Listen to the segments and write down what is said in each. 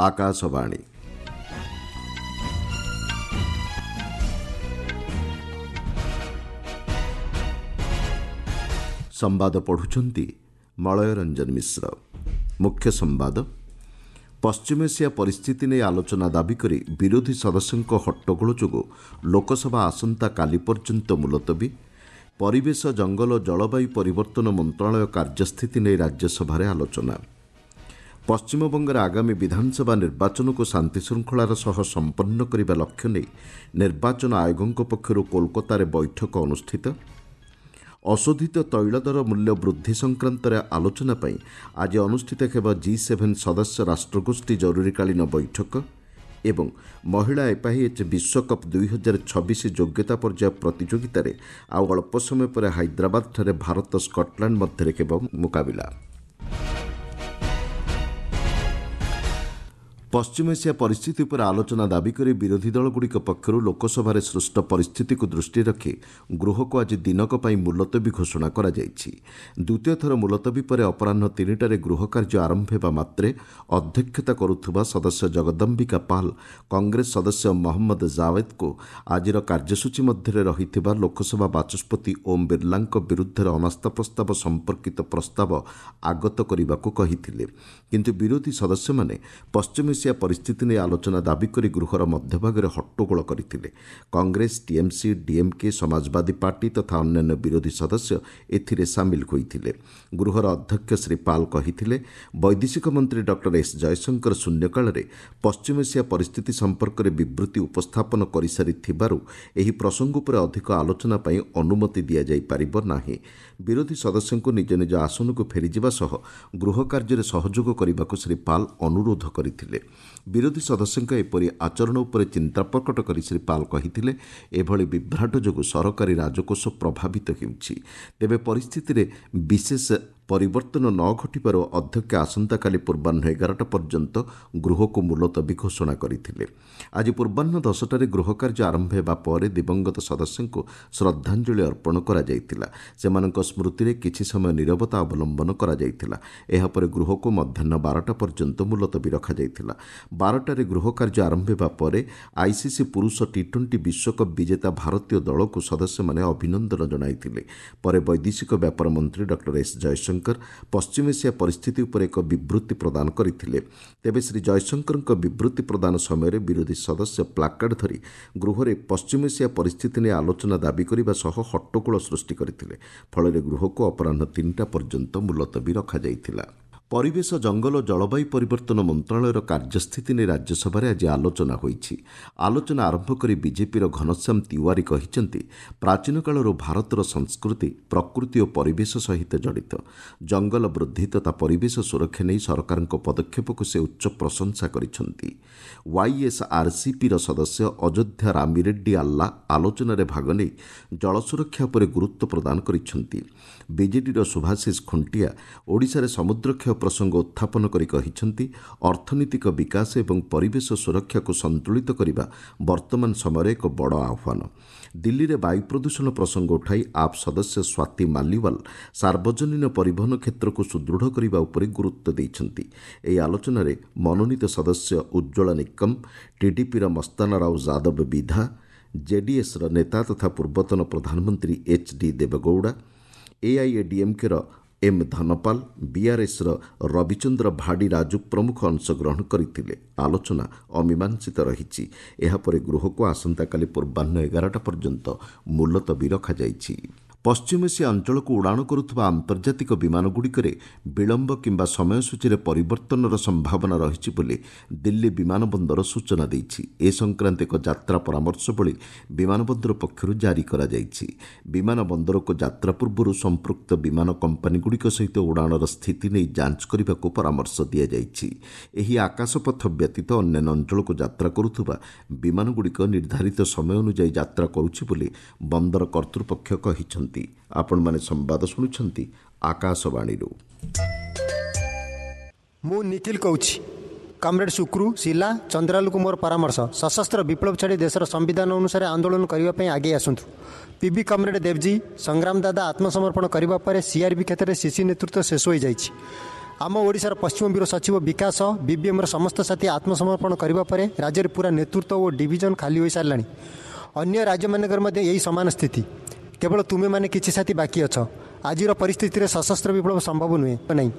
ଆକାଶବାଣୀ। ସମ୍ବାଦ ପଢ଼ୁଛନ୍ତି ମଳୟ ରଞ୍ଜନ ମିଶ୍ର। ମୁଖ୍ୟ ସମ୍ବାଦ। ପଶ୍ଚିମଏସିଆ ପରିସ୍ଥିତି ନେଇ ଆଲୋଚନା ଦାବି କରି ବିରୋଧୀ ସଦସ୍ୟଙ୍କ ହଟ୍ଟଗୋଳ ଯୋଗୁଁ ଲୋକସଭା ଆସନ୍ତାକାଲି ପର୍ଯ୍ୟନ୍ତ ମୁଲତବୀ। ପରିବେଶ, ଜଙ୍ଗଲ ଓ ଜଳବାୟୁ ପରିବର୍ତ୍ତନ ମନ୍ତ୍ରଣାଳୟ କାର୍ଯ୍ୟସ୍ଥିତି ନେଇ ରାଜ୍ୟସଭାରେ ଆଲୋଚନା। ପଶ୍ଚିମବଙ୍ଗରେ ଆଗାମୀ ବିଧାନସଭା ନିର୍ବାଚନକୁ ଶାନ୍ତିଶୃଙ୍ଖଳାର ସହ ସମ୍ପନ୍ନ କରିବା ଲକ୍ଷ୍ୟ ନେଇ ନିର୍ବାଚନ ଆୟୋଗଙ୍କ ପକ୍ଷରୁ କୋଲକାତାରେ ବୈଠକ ଅନୁଷ୍ଠିତ। ଅଶୋଧିତ ତୈଳ ଦର ମୂଲ୍ୟ ବୃଦ୍ଧି ସଂକ୍ରାନ୍ତରେ ଆଲୋଚନା ପାଇଁ ଆଜି ଅନୁଷ୍ଠିତ ହେବ ଜି7 ସଦସ୍ୟ ରାଷ୍ଟ୍ରଗୋଷ୍ଠୀ ଜରୁରୀକାଳୀନ ବୈଠକ। ଏବଂ ମହିଳା ଏଫ୍ଆଇଏଚ୍ ବିଶ୍ୱକପ୍ 2026 ଯୋଗ୍ୟତା ପର୍ଯ୍ୟାୟ ପ୍ରତିଯୋଗିତାରେ ଆଉ ଅଳ୍ପ ସମୟ ପରେ ହାଇଦ୍ରାବାଦଠାରେ ଭାରତ ସ୍କଟଲ୍ୟାଣ୍ଡ ମଧ୍ୟରେ ହେବ ମୁକାବିଲା। ପଶ୍ଚିମ ଏସିଆ ପରିସ୍ଥିତି ଉପରେ ଆଲୋଚନା ଦାବି କରି ବିରୋଧୀ ଦଳଗୁଡ଼ିକ ପକ୍ଷରୁ ଲୋକସଭାରେ ସୃଷ୍ଟ ପରିସ୍ଥିତିକୁ ଦୃଷ୍ଟିରେ ରଖି ଗୃହକୁ ଆଜି ଦିନକ ପାଇଁ ମୁଲତବୀ ଘୋଷଣା କରାଯାଇଛି। ଦ୍ୱିତୀୟ ଥର ମୁଲତବୀ ପରେ ଅପରାହ୍ନ 3ଟାରେ ଗୃହ କାର୍ଯ୍ୟ ଆରମ୍ଭ ହେବା ମାତ୍ରେ ଅଧ୍ୟକ୍ଷତା କରୁଥିବା ସଦସ୍ୟ ଜଗଦମ୍ବିକା ପାଲ୍ କଂଗ୍ରେସ ସଦସ୍ୟ ମହମ୍ମଦ ଜାୱେଦ୍ଙ୍କୁ ଆଜିର କାର୍ଯ୍ୟସୂଚୀ ମଧ୍ୟରେ ରହିଥିବା ଲୋକସଭା ବାଚସ୍ପତି ଓମ୍ ବିର୍ଲାଙ୍କ ବିରୁଦ୍ଧରେ ଅନାସ୍ଥା ପ୍ରସ୍ତାବ ସମ୍ପର୍କିତ ପ୍ରସ୍ତାବ ଆଗତ କରିବାକୁ କହିଥିଲେ। କିନ୍ତୁ ବିରୋଧୀ ସଦସ୍ୟମାନେ ପଶ୍ଚିମ ଏସିଆ ପରିସ୍ଥିତି ନେଇ ଆଲୋଚନା ଦାବି କରି ଗୃହର ମଧ୍ୟଭାଗରେ ହଟ୍ଟଗୋଳ କରିଥିଲେ। କଂଗ୍ରେସ, ଟିଏମ୍ସି, ଡିଏମ୍କେ, ସମାଜବାଦୀ ପାର୍ଟି ତଥା ଅନ୍ୟାନ୍ୟ ବିରୋଧୀ ସଦସ୍ୟ ଏଥିରେ ସାମିଲ ହୋଇଥିଲେ। ଗୃହର ଅଧ୍ୟକ୍ଷ ଶ୍ରୀ ପାଲ୍ କହିଥିଲେ, ବୈଦେଶିକ ମନ୍ତ୍ରୀ ଡକ୍ଟର ଏସ୍ ଜୟଶଙ୍କର ଶୂନ୍ୟକାଳରେ ପଶ୍ଚିମ ଏସିଆ ପରିସ୍ଥିତି ସମ୍ପର୍କରେ ବିବୃତି ଉପସ୍ଥାପନ କରିସାରିଥିବାରୁ ଏହି ପ୍ରସଙ୍ଗ ଉପରେ ଅଧିକ ଆଲୋଚନା ପାଇଁ ଅନୁମତି ଦିଆଯାଇପାରିବ ନାହିଁ। ବିରୋଧୀ ସଦସ୍ୟଙ୍କୁ ନିଜ ନିଜ ଆସନକୁ ଫେରିଯିବା ସହ ଗୃହ କାର୍ଯ୍ୟରେ ସହଯୋଗ କରିବାକୁ ଶ୍ରୀ ପାଲ୍ ଅନୁରୋଧ କରିଥିଲେ। ବିରୋଧୀ ସଦସ୍ୟଙ୍କ ଏପରି ଆଚରଣ ଉପରେ ଚିନ୍ତା ପ୍ରକଟ କରି ଶ୍ରୀ ପାଲ୍ କହିଥିଲେ, ଏଭଳି ବିଭ୍ରାଟ ଯୋଗୁଁ ସରକାରୀ ରାଜକୋଷ ପ୍ରଭାବିତ ହେଉଛି। ତେବେ ପରିସ୍ଥିତିରେ ବିଶେଷ ପରିବର୍ତ୍ତନ ନ ଘଟିବାରୁ ଅଧ୍ୟକ୍ଷ ଆସନ୍ତାକାଲି ପୂର୍ବାହ୍ନ 11ଟା ପର୍ଯ୍ୟନ୍ତ ଗୃହକୁ ମୁଲତବୀ ଘୋଷଣା କରିଥିଲେ। ଆଜି ପୂର୍ବାହ୍ନ 10ଟାରେ ଗୃହ କାର୍ଯ୍ୟ ଆରମ୍ଭ ହେବା ପରେ ଦିବଂଗତ ସଦସ୍ୟଙ୍କୁ ଶ୍ରଦ୍ଧାଞ୍ଜଳି ଅର୍ପଣ କରାଯାଇଥିଲା। ସେମାନଙ୍କ ସ୍ମୃତିରେ କିଛି ସମୟ ନିରବତା ଅବଲମ୍ବନ କରାଯାଇଥିଲା। ଏହାପରେ ଗୃହକୁ ମଧ୍ୟାହ୍ନ 12ଟା ପର୍ଯ୍ୟନ୍ତ ମୁଲତବୀ ରଖାଯାଇଥିଲା। 12ଟାରେ ଗୃହ କାର୍ଯ୍ୟ ଆରମ୍ଭ ହେବା ପରେ ଆଇସିସି ପୁରୁଷ ଟି20 ବିଶ୍ୱକପ୍ ବିଜେତା ଭାରତୀୟ ଦଳକୁ ସଦସ୍ୟମାନେ ଅଭିନନ୍ଦନ ଜଣାଇଥିଲେ। ପରେ ବୈଦେଶିକ ବ୍ୟାପାର ମନ୍ତ୍ରୀ ଡକ୍ଟର ଏସ୍ ଜୟଶଙ୍କର ପଶ୍ଚିମ ଏସିଆ ପରିସ୍ଥିତି ଉପରେ ଏକ ବିବୃତି ପ୍ରଦାନ କରିଥିଲେ। ତେବେ ଶ୍ରୀ ଜୟଶଙ୍କରଙ୍କ ବିବୃତି ପ୍ରଦାନ ସମୟରେ ବିରୋଧୀ ସଦସ୍ୟ ପ୍ଲାକାର୍ଡ ଧରି ଗୃହରେ ପଶ୍ଚିମ ଏସିଆ ପରିସ୍ଥିତି ନେଇ ଆଲୋଚନା ଦାବି କରିବା ସହ ହଟ୍ଟଗୋଳ ସୃଷ୍ଟି କରିଥିଲେ। ଫଳରେ ଗୃହକୁ ଅପରାହ୍ନ 3ଟା ପର୍ଯ୍ୟନ୍ତ ମୁଲତବୀ ରଖାଯାଇଥିଲା। ପରିବେଶ, ଜଙ୍ଗଲ ଓ ଜଳବାୟୁ ପରିବର୍ତ୍ତନ ମନ୍ତ୍ରଣାଳୟର କାର୍ଯ୍ୟସ୍ଥିତି ନେଇ ରାଜ୍ୟସଭାରେ ଆଜି ଆଲୋଚନା ହୋଇଛି। ଆଲୋଚନା ଆରମ୍ଭ କରି ବିଜେପିର ଘନଶ୍ୟାମ ତିୱାରୀ କହିଛନ୍ତି, ପ୍ରାଚୀନ କାଳରୁ ଭାରତର ସଂସ୍କୃତି ପ୍ରକୃତି ଓ ପରିବେଶ ସହିତ ଜଡ଼ିତ। ଜଙ୍ଗଲ ବୃଦ୍ଧି ତଥା ପରିବେଶ ସୁରକ୍ଷା ନେଇ ସରକାରଙ୍କ ପଦକ୍ଷେପକୁ ସେ ଉଚ୍ଚ ପ୍ରଶଂସା କରିଛନ୍ତି। ୱାଇଏସ୍ଆର୍ସିପିର ସଦସ୍ୟ ଅଯୋଧ୍ୟା ରାମିରେଡ୍ଡି ଆଲ୍ଲା ଆଲୋଚନାରେ ଭାଗ ନେଇ ଜଳ ସୁରକ୍ଷା ଉପରେ ଗୁରୁତ୍ୱ ପ୍ରଦାନ କରିଛନ୍ତି। ବିଜେଡିର ଶୁଭାଶିଷ ଖୁଣ୍ଟିଆ ଓଡ଼ିଶାରେ ସମୁଦ୍ରକ୍ଷୟ ପ୍ରସଙ୍ଗ ଉତ୍ଥାପନ କରି କହିଛନ୍ତି, ଅର୍ଥନୈତିକ ବିକାଶ ଏବଂ ପରିବେଶ ସୁରକ୍ଷାକୁ ସନ୍ତୁଳିତ କରିବା ବର୍ତ୍ତମାନ ସମୟରେ ଏକ ବଡ଼ ଆହ୍ୱାନ। ଦିଲ୍ଲୀରେ ବାୟୁ ପ୍ରଦୂଷଣ ପ୍ରସଙ୍ଗ ଉଠାଇ ଆପ୍ ସଦସ୍ୟ ସ୍ୱାତୀ ମାଲିୱାଲ ସାର୍ବଜନୀନ ପରିବହନ କ୍ଷେତ୍ରକୁ ସୁଦୃଢ଼ କରିବା ଉପରେ ଗୁରୁତ୍ୱ ଦେଇଛନ୍ତି। ଏହି ଆଲୋଚନାରେ ମନୋନୀତ ସଦସ୍ୟ ଉଜ୍ଜ୍ୱଳ ନିକମ, ଟିଡିପିର ମସ୍ତାନା ରାଓ ଯାଦବ ବିଧା, ଜେଡିଏସ୍ର ନେତା ତଥା ପୂର୍ବତନ ପ୍ରଧାନମନ୍ତ୍ରୀ ଏଚ୍ ଡି ଦେବଗୌଡ଼ା, ଏଆଇଏଡିଏମ୍କେର ଏମ୍ ଧନପାଲ, ବିଆର୍ଏସ୍ର ରବିଚନ୍ଦ୍ର ଭାଡ଼ି ରାଜୁ ପ୍ରମୁଖ ଅଂଶଗ୍ରହଣ କରିଥିଲେ। ଆଲୋଚନା ଅମୀମାଂସିତ ରହିଛି। ଏହାପରେ ଗୃହକୁ ଆସନ୍ତାକାଲି ପୂର୍ବାହ୍ନ 11ଟା ପର୍ଯ୍ୟନ୍ତ ମୁଲତବୀ ରଖାଯାଇଛି। ପଶ୍ଚିମ ଏସିଆ ଅଞ୍ଚଳକୁ ଉଡ଼ାଣ କରୁଥିବା ଆନ୍ତର୍ଜାତିକ ବିମାନଗୁଡ଼ିକରେ ବିଳମ୍ବ କିମ୍ବା ସମୟସୂଚୀରେ ପରିବର୍ତ୍ତନର ସମ୍ଭାବନା ରହିଛି ବୋଲି ଦିଲ୍ଲୀ ବିମାନ ବନ୍ଦର ସୂଚନା ଦେଇଛି। ଏ ସଂକ୍ରାନ୍ତ ଏକ ଯାତ୍ରା ପରାମର୍ଶବଳୀ ବିମାନ ବନ୍ଦର ପକ୍ଷରୁ ଜାରି କରାଯାଇଛି। ବିମାନ ବନ୍ଦରକୁ ଯାତ୍ରା ପୂର୍ବରୁ ସମ୍ପୃକ୍ତ ବିମାନ କମ୍ପାନୀଗୁଡ଼ିକ ସହିତ ଉଡ଼ାଣର ସ୍ଥିତି ନେଇ ଯାଞ୍ଚ କରିବାକୁ ପରାମର୍ଶ ଦିଆଯାଇଛି। ଏହି ଆକାଶପଥ ବ୍ୟତୀତ ଅନ୍ୟାନ୍ୟ ଅଞ୍ଚଳକୁ ଯାତ୍ରା କରୁଥିବା ବିମାନଗୁଡ଼ିକ ନିର୍ଦ୍ଧାରିତ ସମୟ ଅନୁଯାୟୀ ଯାତ୍ରା କରୁଛି ବୋଲି ବନ୍ଦର କର୍ତ୍ତୃପକ୍ଷ କହିଛନ୍ତି। ଆପଣମାନେ ସମ୍ବାଦ ଶୁଣୁଛନ୍ତି ଆକାଶବାଣୀରୁ। ମୁଁ ନିଖିଲ କହୁଛି। କମ୍ରେଡ୍ ସୁକ୍ରୁ, ଶିଲା, ଚନ୍ଦ୍ରାଲୁକୁ ମୋର ପରାମର୍ଶ, ସଶସ୍ତ୍ର ବିପ୍ଳବ ଛାଡ଼ି ଦେଶର ସମ୍ବିଧାନ ଅନୁସାରେ ଆନ୍ଦୋଳନ କରିବା ପାଇଁ ଆଗେଇ ଆସନ୍ତୁ। ପିବି କମ୍ରେଡ୍ ଦେବଜୀ, ସଂଗ୍ରାମ ଦାଦା ଆତ୍ମସମର୍ପଣ କରିବା ପରେ ସିଆର୍ପି କ୍ଷେତ୍ରରେ ସିସି ନେତୃତ୍ୱ ଶେଷ ହୋଇଯାଇଛି। ଆମ ଓଡ଼ିଶାର ପଶ୍ଚିମ ବ୍ୟୁରୋ ସଚିବ ବିକାଶ, ବିବିଏମ୍ର ସମସ୍ତ ସାଥୀ ଆତ୍ମସମର୍ପଣ କରିବା ପରେ ରାଜ୍ୟରେ ପୁରା ନେତୃତ୍ୱ ଓ ଡିଭିଜନ ଖାଲି ହୋଇସାରିଲାଣି। ଅନ୍ୟ ରାଜ୍ୟମାନଙ୍କରେ ମଧ୍ୟ ଏହି ସମାନ ସ୍ଥିତି। କେବଳ ତୁମେମାନେ କିଛି ସାଥୀ ବାକି ଅଛ। ଆଜିର ପରିସ୍ଥିତିରେ ସଶସ୍ତ୍ର ବିପ୍ଳବ ସମ୍ଭବ ନୁହେଁ ନାହିଁ।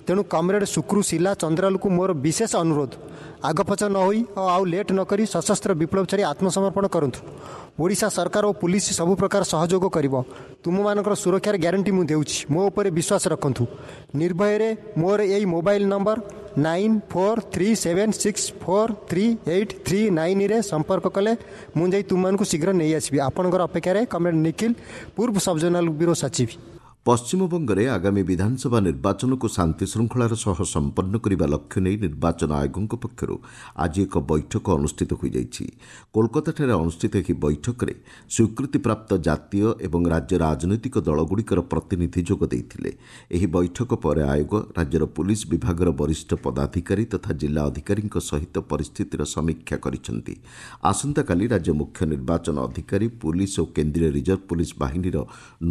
ତେଣୁ କମ୍ରେଡ୍ ସୁକ୍ରୁ, ଶିଲା, ଚନ୍ଦ୍ରାଲୁକୁ ମୋର ବିଶେଷ ଅନୁରୋଧ, ଆଗପଛ ନ ହୋଇ ଓ ଆଉ ଲେଟ୍ ନକରି ସଶସ୍ତ୍ର ବିପ୍ଳବ ଛାଡ଼ି ଆତ୍ମସମର୍ପଣ କରନ୍ତୁ। ଓଡ଼ିଶା ସରକାର ଓ ପୁଲିସ ସବୁ ପ୍ରକାର ସହଯୋଗ କରିବ। ତୁମମାନଙ୍କର ସୁରକ୍ଷାର ଗ୍ୟାରେଣ୍ଟି ମୁଁ ଦେଉଛି। ମୋ ଉପରେ ବିଶ୍ୱାସ ରଖନ୍ତୁ। ନିର୍ଭୟରେ ମୋର ଏଇ ମୋବାଇଲ ନମ୍ବର 9437643839ରେ ସମ୍ପର୍କ କଲେ ମୁଁ ଯାଇ ତୁମମାନଙ୍କୁ ଶୀଘ୍ର ନେଇ ଆସିବି। ଆପଣଙ୍କର ଅପେକ୍ଷାରେ କମ୍ରେଡ୍ ନିଖିଲ, ପୂର୍ବ ସବଜୋନାଲ ବ୍ୟୁରୋ ସଚିବ। ପଶ୍ଚିମବଙ୍ଗରେ ଆଗାମୀ ବିଧାନସଭା ନିର୍ବାଚନକୁ ଶାନ୍ତିଶୃଙ୍ଖଳାର ସହ ସମ୍ପନ୍ନ କରିବା ଲକ୍ଷ୍ୟ ନେଇ ନିର୍ବାଚନ ଆୟୋଗଙ୍କ ପକ୍ଷରୁ ଆଜି ଏକ ବୈଠକ ଅନୁଷ୍ଠିତ ହୋଇଯାଇଛି। କୋଲକାତାଠାରେ ଅନୁଷ୍ଠିତ ଏହି ବୈଠକରେ ସ୍ୱୀକୃତିପ୍ରାପ୍ତ ଜାତୀୟ ଏବଂ ରାଜ୍ୟ ରାଜନୈତିକ ଦଳଗୁଡ଼ିକର ପ୍ରତିନିଧି ଯୋଗ ଦେଇଥିଲେ। ଏହି ବୈଠକ ପରେ ଆୟୋଗ ରାଜ୍ୟର ପୁଲିସ୍ ବିଭାଗର ବରିଷ୍ଠ ପଦାଧିକାରୀ ତଥା ଜିଲ୍ଲା ଅଧିକାରୀଙ୍କ ସହିତ ପରିସ୍ଥିତିର ସମୀକ୍ଷା କରିଛନ୍ତି। ଆସନ୍ତାକାଲି ରାଜ୍ୟ ମୁଖ୍ୟ ନିର୍ବାଚନ ଅଧିକାରୀ, ପୁଲିସ୍ ଓ କେନ୍ଦ୍ରୀୟ ରିଜର୍ଭ ପୁଲିସ୍ ବାହିନୀର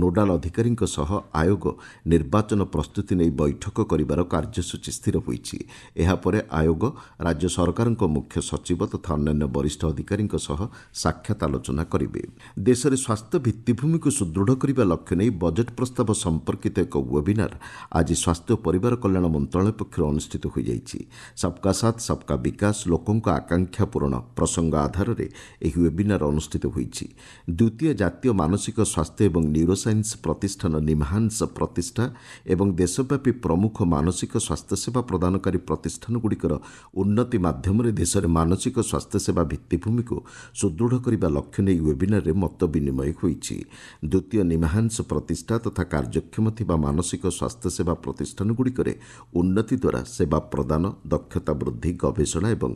ନୋଡାଲ ଅଧିକାରୀଙ୍କ ସହ ଆୟୋଗ ନିର୍ବାଚନ ପ୍ରସ୍ତୁତି ନେଇ ବୈଠକ କରିବାର କାର୍ଯ୍ୟସୂଚୀ ସ୍ଥିର ହୋଇଛି। ଏହାପରେ ଆୟୋଗ ରାଜ୍ୟ ସରକାରଙ୍କ ମୁଖ୍ୟ ସଚିବ ତଥା ଅନ୍ୟାନ୍ୟ ବରିଷ୍ଠ ଅଧିକାରୀଙ୍କ ସହ ସାକ୍ଷାତ ଆଲୋଚନା କରିବେ। ଦେଶରେ ସ୍ୱାସ୍ଥ୍ୟ ଭିତ୍ତିଭୂମିକୁ ସୁଦୃଢ଼ କରିବା ଲକ୍ଷ୍ୟ ନେଇ ବଜେଟ୍ ପ୍ରସ୍ତାବ ସମ୍ପର୍କିତ ଏକ ୱେବିନାର ଆଜି ସ୍ୱାସ୍ଥ୍ୟ ଓ ପରିବାର କଲ୍ୟାଣ ମନ୍ତ୍ରଣାଳୟ ପକ୍ଷରୁ ଅନୁଷ୍ଠିତ ହୋଇଯାଇଛି। ସବକା ସାଥ ସବକା ବିକାଶ, ଲୋକଙ୍କ ଆକାଂକ୍ଷା ପୂରଣ ପ୍ରସଙ୍ଗ ଆଧାରରେ ଏହି ୱେବିନାର ଅନୁଷ୍ଠିତ ହୋଇଛି। ଦ୍ୱିତୀୟ ଜାତୀୟ ମାନସିକ ସ୍ୱାସ୍ଥ୍ୟ ଏବଂ ନ୍ୟୁରୋସାଇନ୍ସ ପ୍ରତିଷ୍ଠାନ ନିମ୍ହାନ୍ସ ପ୍ରତିଷ୍ଠା ଏବଂ ଦେଶବ୍ୟାପୀ ପ୍ରମୁଖ ମାନସିକ ସ୍ୱାସ୍ଥ୍ୟସେବା ପ୍ରଦାନକାରୀ ପ୍ରତିଷ୍ଠାନଗୁଡ଼ିକର ଉନ୍ନତି ମାଧ୍ୟମରେ ଦେଶରେ ମାନସିକ ସ୍ୱାସ୍ଥ୍ୟସେବା ଭିତ୍ତିଭୂମିକୁ ସୁଦୃଢ଼ କରିବା ଲକ୍ଷ୍ୟ ନେଇ ୱେବିନାରରେ ମତ ବିନିମୟ ହୋଇଛି। ଦ୍ୱିତୀୟ ନିମ୍ହାନ୍ସ ପ୍ରତିଷ୍ଠା ତଥା କାର୍ଯ୍ୟକ୍ଷମ ଥିବା ମାନସିକ ସ୍ୱାସ୍ଥ୍ୟସେବା ପ୍ରତିଷ୍ଠାନଗୁଡ଼ିକରେ ଉନ୍ନତି ଦ୍ୱାରା ସେବା ପ୍ରଦାନ, ଦକ୍ଷତା ବୃଦ୍ଧି, ଗବେଷଣା ଏବଂ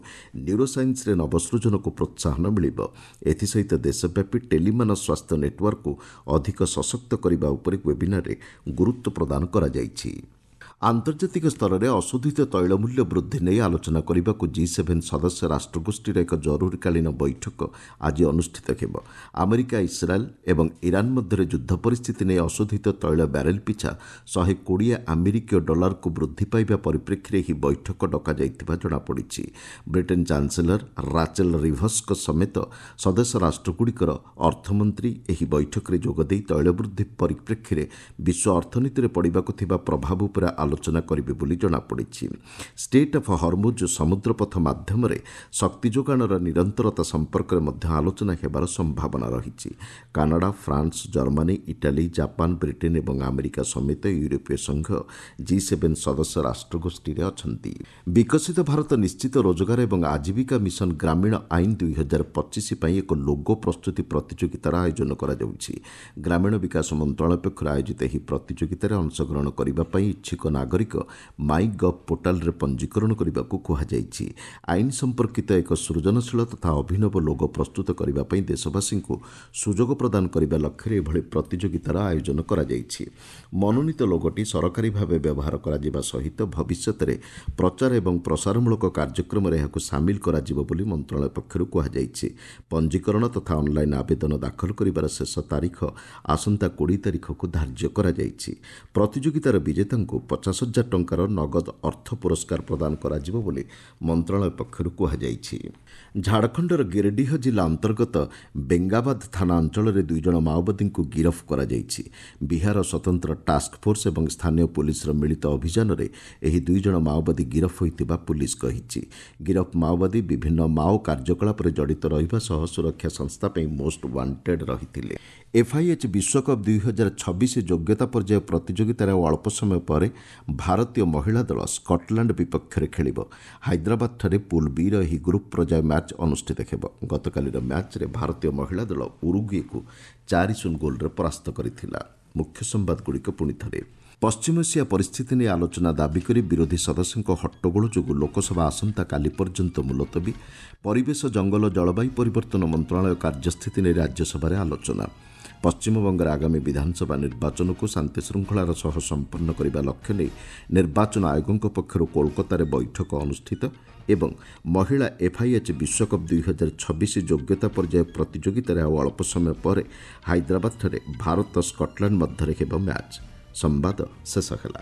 ନ୍ୟୁରୋସାଇନ୍ସରେ ନବସୃଜନକୁ ପ୍ରୋତ୍ସାହନ ମିଳିବ। ଏଥିସହିତ ଦେଶବ୍ୟାପୀ ଟେଲିମାନସ ସ୍ୱାସ୍ଥ୍ୟ ନେଟୱାର୍କକୁ ଅଧିକ ସଶକ୍ତ କରିବା ଉପରେ ୱେବିନାରରେ ଗୁରୁତ୍ୱ ପ୍ରଦାନ କରାଯାଇଛି। ଆନ୍ତର୍ଜାତିକ ସ୍ତରରେ ଅଶୋଧିତ ତୈଳ ମୂଲ୍ୟ ବୃଦ୍ଧି ନେଇ ଆଲୋଚନା କରିବାକୁ ଜି7 ସଦସ୍ୟ ରାଷ୍ଟ୍ରଗୋଷ୍ଠୀର ଏକ ଜରୁରୀକାଳୀନ ବୈଠକ ଆଜି ଅନୁଷ୍ଠିତ ହେବ। ଆମେରିକା, ଇସ୍ରାଏଲ୍ ଏବଂ ଇରାନ ମଧ୍ୟରେ ଯୁଦ୍ଧ ପରିସ୍ଥିତି ନେଇ ଅଶୋଧିତ ତୈଳ ବ୍ୟାରେଲ ପିଛା 120 ଆମେରିକୀୟ ଡଲାରକୁ ବୃଦ୍ଧି ପାଇବା ପରିପ୍ରେକ୍ଷୀରେ ଏହି ବୈଠକ ଡକାଯାଇଥିବା ଜଣାପଡ଼ିଛି। ବ୍ରିଟେନ୍ ଚାନ୍ସେଲର ରାଚେଲ ରିଭସ୍ଙ୍କ ସମେତ ସଦସ୍ୟ ରାଷ୍ଟ୍ରଗୁଡ଼ିକର ଅର୍ଥମନ୍ତ୍ରୀ ଏହି ବୈଠକରେ ଯୋଗଦେଇ ତୈଳ ବୃଦ୍ଧି ପରିପ୍ରେକ୍ଷୀରେ ବିଶ୍ୱ ଅର୍ଥନୀତିରେ ପଡ଼ିବାକୁ ଥିବା ପ୍ରଭାବ ଉପରେ ଆଲୋଚନା କରିବେ ବୋଲି ଜଣାପଡ଼ିଛି। ଷ୍ଟେଟ୍ ଅଫ୍ ହରମୁଜ ସମୁଦ୍ରପଥ ମାଧ୍ୟମରେ ଶକ୍ତି ଯୋଗାଣର ନିରନ୍ତରତା ସମ୍ପର୍କରେ ମଧ୍ୟ ଆଲୋଚନା ହେବାର ସମ୍ଭାବନା ରହିଛି। Canada, France, Germany, Italy, Japan, Britain ଏବଂ ଆମେରିକା ସମେତ ୟୁରୋପୀୟ ସଂଘ ଜି7 ସଦସ୍ୟ ରାଷ୍ଟ୍ରଗୋଷ୍ଠୀରେ ଅଛନ୍ତି। ବିକଶିତ ଭାରତ ନିଶ୍ଚିତ ରୋଜଗାର ଏବଂ ଆଜୀବିକା ମିଶନ ଗ୍ରାମୀଣ ଆଇନ 2025 ପାଇଁ ଏକ ଲୋଗୋ ପ୍ରସ୍ତୁତି ପ୍ରତିଯୋଗିତାର ଆୟୋଜନ କରାଯାଉଛି। ଗ୍ରାମୀଣ ବିକାଶ ମନ୍ତ୍ରଣାଳୟ ପକ୍ଷରୁ ଆୟୋଜିତ ଏହି ପ୍ରତିଯୋଗିତାରେ ଅଂଶଗ୍ରହଣ କରିବା ପାଇଁ ଇଚ୍ଛୁକ ନାଗରିକ ମାଇ ଗଭ୍ ପୋର୍ଟାଲରେ ପଞ୍ଜୀକରଣ କରିବାକୁ କୁହାଯାଇଛି। ଆଇନ ସମ୍ପର୍କିତ ଏକ ସୃଜନଶୀଳ ତଥା ଅଭିନବ ଲୋଗୋ ପ୍ରସ୍ତୁତ କରିବା ପାଇଁ ଦେଶବାସୀଙ୍କୁ ସୁଯୋଗ ପ୍ରଦାନ କରିବା ଲକ୍ଷ୍ୟରେ ଏଭଳି ପ୍ରତିଯୋଗିତାର ଆୟୋଜନ କରାଯାଇଛି। ମନୋନୀତ ଲୋଗୋଟି ସରକାରୀ ଭାବେ ବ୍ୟବହାର କରାଯିବା ସହିତ ଭବିଷ୍ୟତରେ ପ୍ରଚାର ଏବଂ ପ୍ରସାରମୂଳକ କାର୍ଯ୍ୟକ୍ରମରେ ଏହାକୁ ସାମିଲ କରାଯିବ ବୋଲି ମନ୍ତ୍ରଣାଳୟ ପକ୍ଷରୁ କୁହାଯାଇଛି। ପଞ୍ଜୀକରଣ ତଥା ଅନ୍ଲାଇନ୍ ଆବେଦନ ଦାଖଲ କରିବାର ଶେଷ ତାରିଖ ଆସନ୍ତା 20 ତାରିଖକୁ ଧାର୍ଯ୍ୟ କରାଯାଇଛି। ପ୍ରତିଯୋଗିତାର ବିଜେତାଙ୍କୁ 50,000 ଟଙ୍କାର ନଗଦ ଅର୍ଥ ପୁରସ୍କାର ପ୍ରଦାନ କରାଯିବ ବୋଲି ମନ୍ତ୍ରଣାଳୟ ପକ୍ଷରୁ କୁହାଯାଇଛି। ଝାଡ଼ଖଣ୍ଡର ଗିରିଡିହ ଜିଲ୍ଲା ଅନ୍ତର୍ଗତ ବେଙ୍ଗାବାଦ ଥାନା ଅଞ୍ଚଳରେ 2 ଜଣ ମାଓବାଦୀଙ୍କୁ ଗିରଫ କରାଯାଇଛି। ବିହାର ସ୍ୱତନ୍ତ୍ର ଟାସ୍କଫୋର୍ସ ଏବଂ ସ୍ଥାନୀୟ ପୁଲିସର ମିଳିତ ଅଭିଯାନରେ ଏହି 2 ଜଣ ମାଓବାଦୀ ଗିରଫ ହୋଇଥିବା ପୁଲିସ କହିଛି। ଗିରଫ ମାଓବାଦୀ ବିଭିନ୍ନ ମାଓ କାର୍ଯ୍ୟକଳାପରେ ଜଡ଼ିତ ରହିବା ସହ ସୁରକ୍ଷା ସଂସ୍ଥା ପାଇଁ ମୋଷ୍ଟ ୱାଣ୍ଟେଡ୍ ରହିଥିଲେ। ଏଫ୍ଆଇଏଚ୍ ବିଶ୍ୱକପ୍ 2026 ଯୋଗ୍ୟତା ପର୍ଯ୍ୟାୟ ପ୍ରତିଯୋଗିତାରେ ଆଉ ଅଳ୍ପ ସମୟ ପରେ ଭାରତୀୟ ମହିଳା ଦଳ ସ୍କଟଲାଣ୍ଡ ବିପକ୍ଷରେ ଖେଳିବ। ହାଇଦ୍ରାବାଦଠାରେ ପୁଲ୍ ବିର ଏହି ଗ୍ରୁପ୍ ପର୍ଯ୍ୟାୟ ମ୍ୟାଚ୍ ଅନୁଷ୍ଠିତ ହେବ। ଗତକାଲିର ମ୍ୟାଚ୍ରେ ଭାରତୀୟ ମହିଳା ଦଳ ଉରୁଗୁଏକୁ 4-0 ଗୋଲ୍ରେ ପରାସ୍ତ କରିଥିଲା। ମୁଖ୍ୟ ସମ୍ବାଦଗୁଡ଼ିକ ପୁଣି ଥରେ। ପଶ୍ଚିମ ଏସିଆ ପରିସ୍ଥିତି ନେଇ ଆଲୋଚନା ଦାବି କରି ବିରୋଧୀ ସଦସ୍ୟଙ୍କ ହଟ୍ଟଗୋଳ ଯୋଗୁଁ ଲୋକସଭା ଆସନ୍ତାକାଲି ପର୍ଯ୍ୟନ୍ତ ମୁଲତବୀ। ପରିବେଶ, ଜଙ୍ଗଲ, ଜଳବାୟୁ ପରିବର୍ତ୍ତନ ମନ୍ତ୍ରଣାଳୟ କାର୍ଯ୍ୟସ୍ଥିତି ନେଇ ରାଜ୍ୟସଭାରେ ଆଲୋଚନା। ପଶ୍ଚିମବଙ୍ଗରେ ଆଗାମୀ ବିଧାନସଭା ନିର୍ବାଚନକୁ ଶାନ୍ତିଶୃଙ୍ଖଳାର ସହ ସମ୍ପନ୍ନ କରିବା ଲକ୍ଷ୍ୟ ନେଇ ନିର୍ବାଚନ ଆୟୋଗଙ୍କ ପକ୍ଷରୁ କୋଲକାତାରେ ବୈଠକ ଅନୁଷ୍ଠିତ। ଏବଂ ମହିଳା ଏଫ୍ଆଇଏଚ୍ ବିଶ୍ୱକପ୍ 2026 ଯୋଗ୍ୟତା ପର୍ଯ୍ୟାୟ ପ୍ରତିଯୋଗିତାରେ ଆଉ ଅଳ୍ପ ସମୟ ପରେ ହାଇଦ୍ରାବାଦଠାରେ ଭାରତ ସ୍କଟଲାଣ୍ଡ ମଧ୍ୟରେ ହେବ ମ୍ୟାଚ୍। ସମ୍ବାଦ ଶେଷ ହେଲା।